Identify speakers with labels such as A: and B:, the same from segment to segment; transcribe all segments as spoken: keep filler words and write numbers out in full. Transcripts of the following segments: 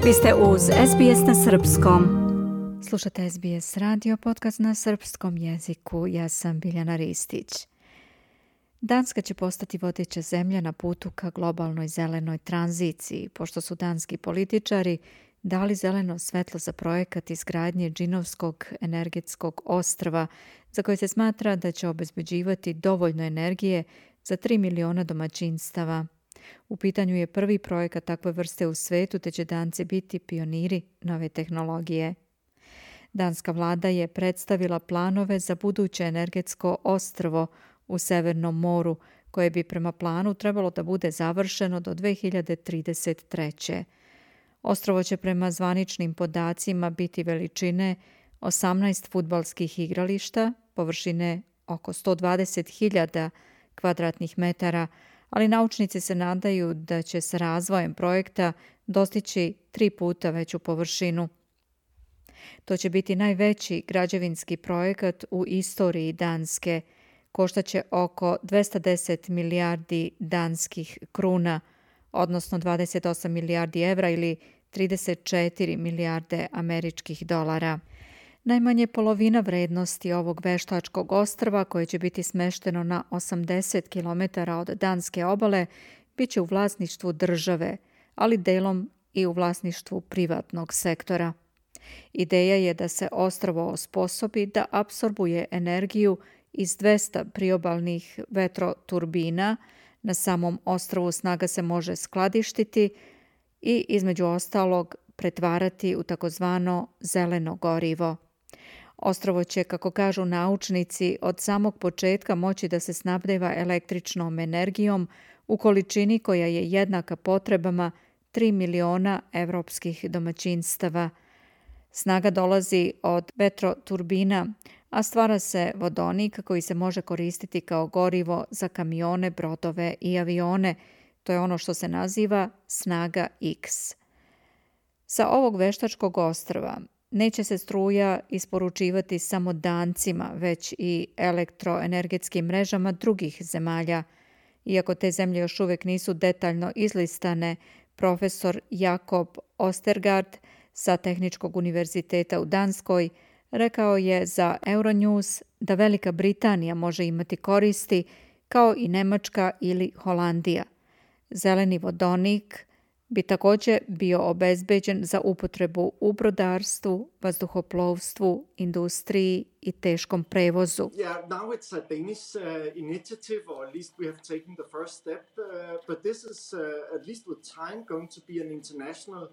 A: Vi ste uz S B S na srpskom. Slušate S B S radio, podcast na srpskom jeziku. Ja sam Biljana Ristić. Danska će postati vodeća zemlja na putu ka globalnoj zelenoj tranziciji, pošto su danski političari dali zeleno svetlo za projekat izgradnje Džinovskog energetskog ostrva, za koje se smatra da će obezbeđivati dovoljno energije za tri miliona domaćinstava. U pitanju je prvi projekat takve vrste u svetu, te će Danci biti pioniri nove tehnologije. Danska vlada je predstavila planove za buduće energetsko ostrvo u Severnom moru, koje bi prema planu trebalo da bude završeno do dve hiljade trideset treće. Ostrvo će prema zvaničnim podacima biti veličine osamnaest fudbalskih igrališta, površine oko sto dvadeset hiljada kvadratnih metara, ali naučnici se nadaju da će s razvojem projekta dostići tri puta veću površinu. To će biti najveći građevinski projekat u istoriji Danske. Koštaće oko dvesta deset milijardi danskih kruna, odnosno dvadeset osam milijardi evra ili trideset četiri milijarde američkih dolara. Najmanje polovina vrednosti ovog veštačkog ostrva, koje će biti smešteno na osamdeset kilometara od danske obale, bit će u vlasništvu države, ali delom i u vlasništvu privatnog sektora. Ideja je da se ostrvo osposobi da apsorbuje energiju iz dvesta priobalnih vetroturbina. Na samom ostrvu snaga se može skladištiti i između ostalog pretvarati u takozvano zeleno gorivo. Ostrvo će, kako kažu naučnici, od samog početka moći da se snabdeva električnom energijom u količini koja je jednaka potrebama tri miliona evropskih domaćinstava. Snaga dolazi od vetroturbina, a stvara se vodonik koji se može koristiti kao gorivo za kamione, brodove i avione. To je ono što se naziva snaga X. Sa ovog veštačkog ostrva neće se struja isporučivati samo Dancima, već i elektroenergetskim mrežama drugih zemalja. Iako te zemlje još uvijek nisu detaljno izlistane, profesor Jakob Ostergaard sa Tehničkog univerziteta u Danskoj rekao je za Euronews da Velika Britanija može imati koristi, kao i Nemačka ili Holandija. Zeleni vodonik bi također bio obezbeđen za upotrebu u brodarstvu, vazduhoplovstvu, industriji i teškom prevozu.
B: Yeah, now it's a Danish uh, initiative, or at least we have taken the first step, uh, but this is uh, at least with time going to be an international uh,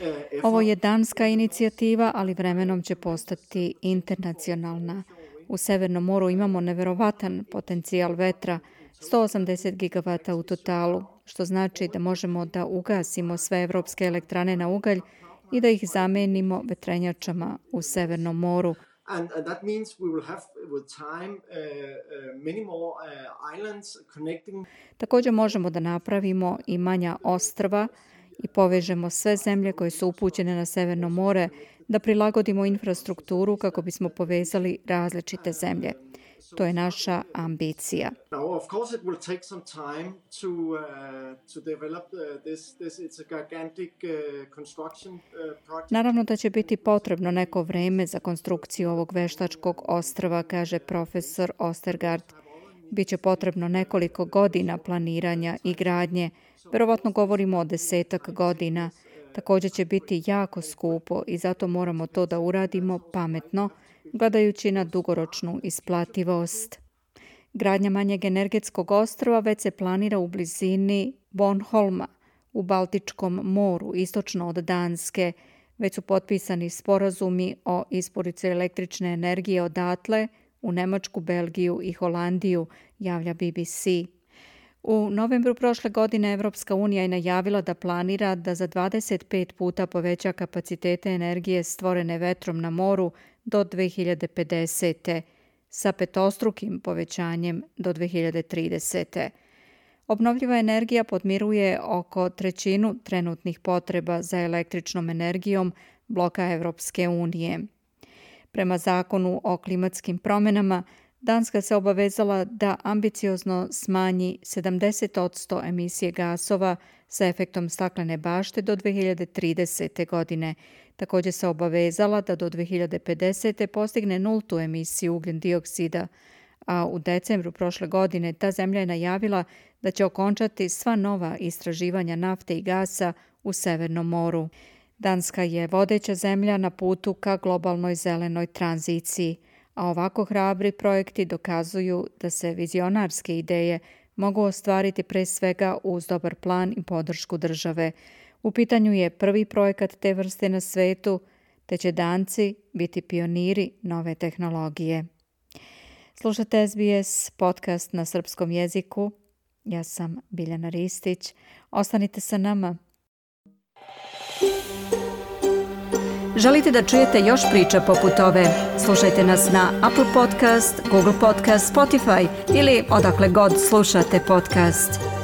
B: effort.
A: Ovo je danska inicijativa, ali vremenom će postati internacionalna. U Severnom moru imamo neverovatan potencijal vetra, sto osamdeset gigavata u totalu, što znači da možemo da ugasimo sve evropske elektrane na ugalj i da ih zamenimo vetrenjačama u Severnom moru.
B: And, and that means we will have with time uh, uh, many more uh, islands connecting.
A: Također možemo da napravimo i manja ostrva i povežemo sve zemlje koje su upućene na Severno more, da prilagodimo infrastrukturu kako bismo povezali različite zemlje. To je naša ambicija.
B: Now, of course, it will take some time to uh, to develop uh, this. This it's a gigantic uh, construction uh, project.
A: Naravno da će biti potrebno neko vreme za konstrukciju ovog veštačkog ostrva, kaže profesor Ostergaard. Biće potrebno nekoliko godina planiranja i gradnje. Verovatno govorimo o desetak godina. Također će biti jako skupo i zato moramo to da uradimo pametno, gledajući na dugoročnu isplativost. Gradnja manjeg energetskog ostrva već se planira u blizini Bornholma u Baltičkom moru, istočno od Danske. Već su potpisani sporazumi o isporuci električne energije odatle u Nemačku, Belgiju i Holandiju, javlja B B C. U novembru prošle godine Evropska unija je najavila da planira da za dvadeset pet puta poveća kapacitete energije stvorene vetrom na moru do dve hiljade pedesete. sa petostrukim povećanjem do dve hiljade tridesete. Obnovljiva energija podmiruje oko trećinu trenutnih potreba za električnom energijom bloka Evropske unije. Prema zakonu o klimatskim promjenama, Danska se obavezala da ambiciozno smanji sedamdeset posto emisije gasova sa efektom staklene bašte do dve hiljade tridesete. godine. Također se obavezala da do dve hiljade pedesete. postigne nultu emisiju ugljen dioksida, a u decembru prošle godine ta zemlja je najavila da će okončati sva nova istraživanja nafte i gasa u Severnom moru. Danska je vodeća zemlja na putu ka globalnoj zelenoj tranziciji, a ovako hrabri projekti dokazuju da se vizionarske ideje mogu ostvariti pre svega uz dobar plan i podršku države. U pitanju je prvi projekat te vrste na svetu, te će Danci biti pioniri nove tehnologije. Slušate S B S podcast na srpskom jeziku. Ja sam Biljana Ristić. Ostanite sa nama. Želite da čujete još priča poput ove? Slušajte nas na Apple Podcast, Google Podcast, Spotify ili odakle god slušate podcast.